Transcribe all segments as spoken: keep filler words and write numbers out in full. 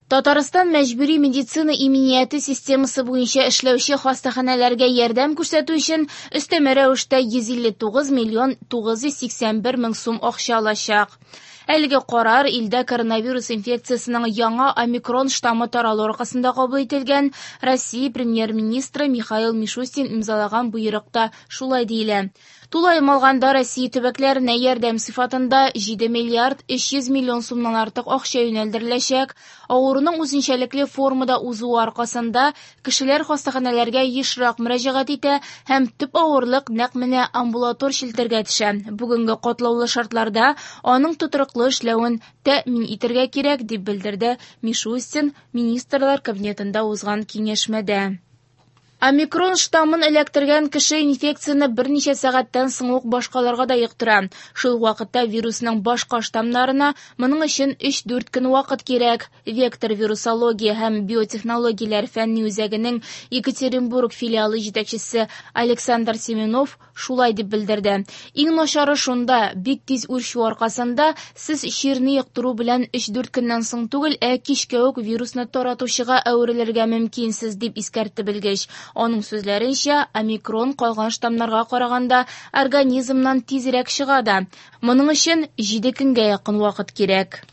Татарстан мәҗбүри медицина иминияте системасы буенча эшләүче хастаханәләргә ярдәм күрсәтү өчен өстәмә рәвештә йөз илле тугыз миллион тугыз йөз сиксән бер мең сум акча алачак. Әлеге карар илдә коронавирус инфекциясенең яңа омикрон штаммы таралу аркасында кабул ителгән. Россия премьер-министры Михаил Мишустин имзалаган боерыкта шулай диелә. Тулаем алганда Россия төбәкләренә ярдәм сыйфатында җиде миллиард өч йөз миллион сумнан артык акча юнәлдереләчәк. Авыруның үзенчәлекле формада узуы аркасында кешеләр хастаханәләргә ешрак мөрәҗәгать итә һәм төп авырлык нәкъ менә амбулатор челтәргә төшә. Бүгенге катлаулы шартларда аның тотрыклы эшләвен тәэмин итәргә кирәк, дип белдерде Мишустин Министрлар Кабинетында узган киңәшмәдә. Омикрон штаммын эләктергән кеше инфекцияне берничә сәгатьтән соң ук башкаларга да йоктыра. Шул вакытта вирусның башка штаммнарына моның өчен өч-дүрт көн вакыт кирәк. Вектор вирусология һәм биотехнологияләр фәнни үзәгенең Екатеринбург филиалы җитәкчесе Александр Семенов шулай дип белдерде. Иң начары шунда, бик тиз үрчү аркасында сез чирне йоктыру белән өч-дүрт көннән соң түгел, ә кичкә үк вирусны таратучыга әверелергә мөмкинсез, дип искәртте белгеч. Аның сүзләренчә, омикрон калган штаммнарга караганда организмнан тизрәк чыга да. Моның өчен җиде көнгә якын вакыт кирәк.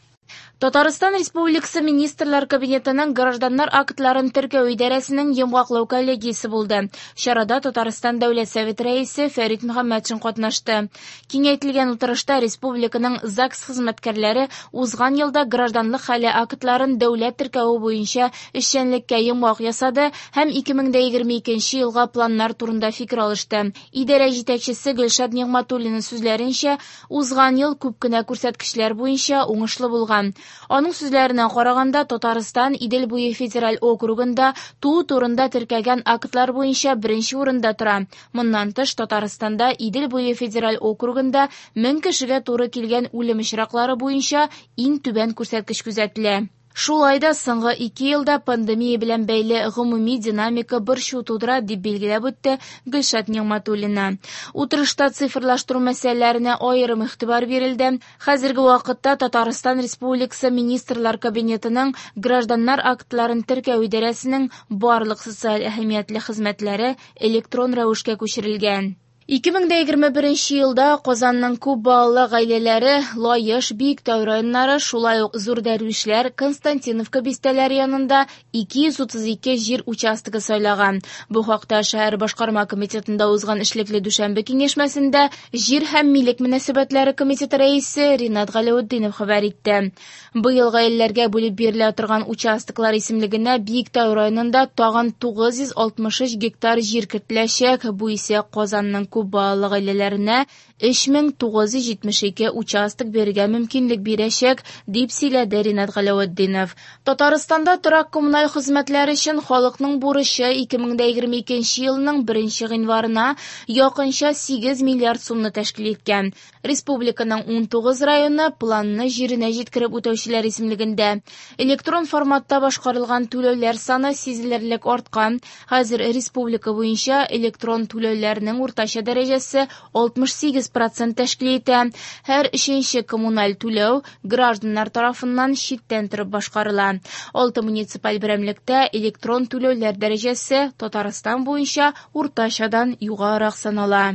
Татарстан Республикасы Министрлар Кабинетының Гражданнар актларын теркәү идарәсенең йомгаклау коллегиясе булды. Чарада Татарстан Дәүләт Советы рәисе Фәрит Мөхәммәтшин катнашты. Киңәйтелгән утырышта республиканың ЗАГС хезмәткәрләре узган елда гражданлык хәле актларын дәүләт теркәве буенча эшчәнлеккә йомгак ясады һәм ике мең дә егерме икенче елга планнар турында фикер алышты. Идарә җитәкчесе Гөлшат Нигъмәтуллина сүзләренчә, узган ел күп кенә күрсәткечләр буенча уңышлы булган. Аның сүзләренә караганда, Татарстан Идел буе федераль округында туу турында теркәгән актлар буенча беренче урында тора. Моннан тыш, Татарстанда Идел буе федераль округында мең кешегә туры килгән үлем очраклары буенча иң түбән күрсәткеч күзәтелә. Шулай да соңгы ике елда пандемия белән бәйле гомуми динамика борчу тудыра, дип билгеләп үтте Гөлшат Нигъмәтуллина. Утырышта цифрлаштыру мәсьәләләренә аерым игътибар бирелде. Хәзерге вакытта Татарстан Республикасы Министрлар Кабинетының Гражданнар актларын теркәү идарәсенең барлык социаль әһәмиятле хезмәтләре электрон рәвешкә күчерелгән. Ике мең дә егерме беренче елда Казанның күп балалы гаиләләре Лаеш, Биектау районнары, шулай ук Зур Дәрвишләр, Константиновка бистәләре янында ике йөз утыз ике җир участогы сайлаган. Бу хакта шәһәр башкарма комитетында узган эшлекле дүшәмбе киңәшмәсендә Җир һәм милек мөнәсәбәтләре комитеты рәисе Ринат Галәветдинов хәбәр итте. Быел гаиләләргә бүлеп бирелә торган участоклар исемлегенә Биектау районында тагын тугыз йөз алтмыш өч гектар җир кертеләчәк. Бу исә Казанның күп балалы гаиләләренә өч мең тугыз йөз җитмеш ике участок бирергә мөмкинлек бирәчәк, дип сөйләде Ринат Галәветдинов. Татарстанда торак коммуналь хезмәтләр өчен халыкның бурычы ике мең дә егерме икенче елның беренче гыйнварына якынча сигез миллиард сумны тәшкил иткән. Республиканың ун тугыз районы планны җиренә җиткереп үтәүчеләр исемлегендә. Электрон форматта башкарылган түләүләр саны сизелерлек арткан. Хәзер республика буенча электрон түләүләрнең уртача дәрәҗәсе алтмыш сигез процент тәшкил итә. Һәр өченче коммуналь түләү гражданнар тарафыннан читтән торып башкарыла. Алты муниципаль берәмлектә электрон түләүләр дәрәҗәсе Татарстан буенча уртачадан югарырак санала.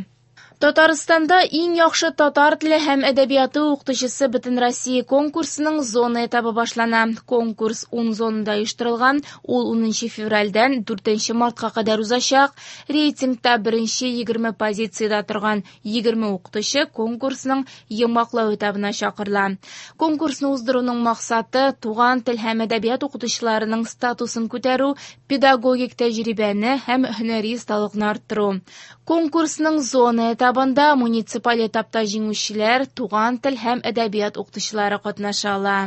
Татарстанда иң яхшы татар теле һәм әдәбияты укытучысы Бөтенроссия конкурсының зона этабы башлана. Конкурс ун зонада оештырылган, ул унынчы февральдән дүртенче мартка кадәр узачак. Рейтингта беренче егерме позициядә торган егерме укытучы конкурсның йомгаклау этабына чакырыла. Конкурсны уздыруның максаты туган тел һәм әдәбият укытучыларының статусын күтәрү, педагогик тәҗрибәне һәм һөнәри осталыкны арттыру. Конкурсның зона этабында муниципаль этапта җиңүчеләр туган тел һәм әдәбият укытучылары катнаша ала.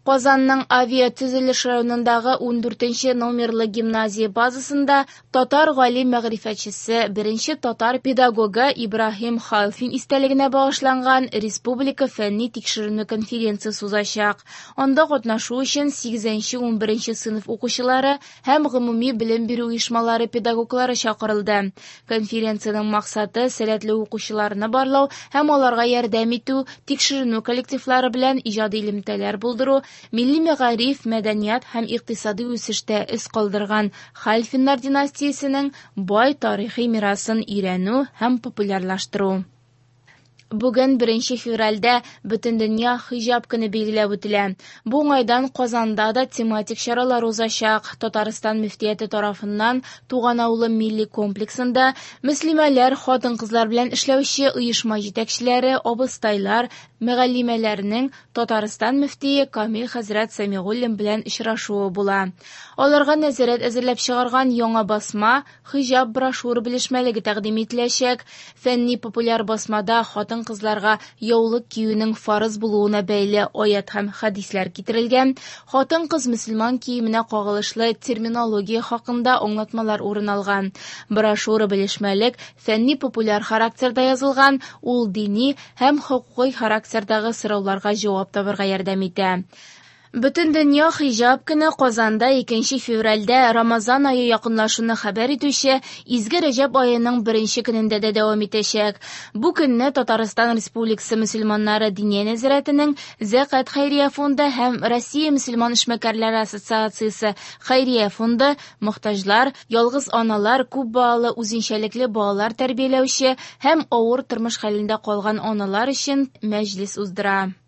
Казанның авиатөзелеш районындагы ундүртенче номерлы гимназия базасында татар галим мәгърифәтчесе, беренче татар педагогы Ибраһим Халфин истәлегенә багышланган республика фәнни тикшеренү конференциясе узачак. Анда катнашу өчен сигезенче унберенче сыйныф укучылары һәм гомуми белем бирү оешмалары педагоглары чакырылды. Конференциянең максаты сәләтле укучыларны барлау һәм аларга ярдәм итү, тикшеренү коллективлары белән иҗади элемтәләр булдыру милли мәгариф, мәдәният һәм икътисади үсештә эз калдырган Хәлфиннар династиясенең бай тарихи мирасын өйрәнү һәм популярлаштыру. Бүген беренче февральдә Бөтендөнья хиҗап көне билгеләп үтелә. Бу уңайдан Казанда да тематик чаралар узачак. Татарстан мөфтияте тарафыннан Туган авылы милли комплексында мөслимәләр, хатын-кызлар белән эшләүче оешма җитәкчеләре, абыстайлар, мөгаллимәләрнең Татарстан мөфтие Камил хәзрәт Сәмигуллин белән очрашуы була. Аларга нәзарәт әзерләп чыгарган яңа басма хиҗап брошюра белешмәлеге тәкъдим ителәчәк. Фәнни популяр басмада хатын кызларга яулык киюнең фарыз булуына бәйле аят һәм хәдисләр китерелгән, хатын-кыз мөселман киеменә кагылышлы терминология хакында аңлатмалар урын алган. Брошюра белешмәлек фәнни популяр характерда язылган, ул дини һәм хокукый характердагы сорауларга җавап табарга ярдәм итә. Бөтендөнья хиҗап көне Казанда икенче февральдә Рамазан ае якынлашуны хәбәр итүче Изге Рәҗәб аеның беренче көнендә дә дәвам итәчәк. Бу көнне Татарстан Республикасы мөселманнары Диния нәзарәтенең Зәкат хәйрия фонды һәм Россия мөселман эшмәкәрләре ассоциациясе хәйрия фонды мохтаҗлар, ялгыз аналар, күп балалы үзенчәлекле балалар тәрбияләүче һәм авыр тормыш хәлендә калган аналар өчен мәҗлес уздыра.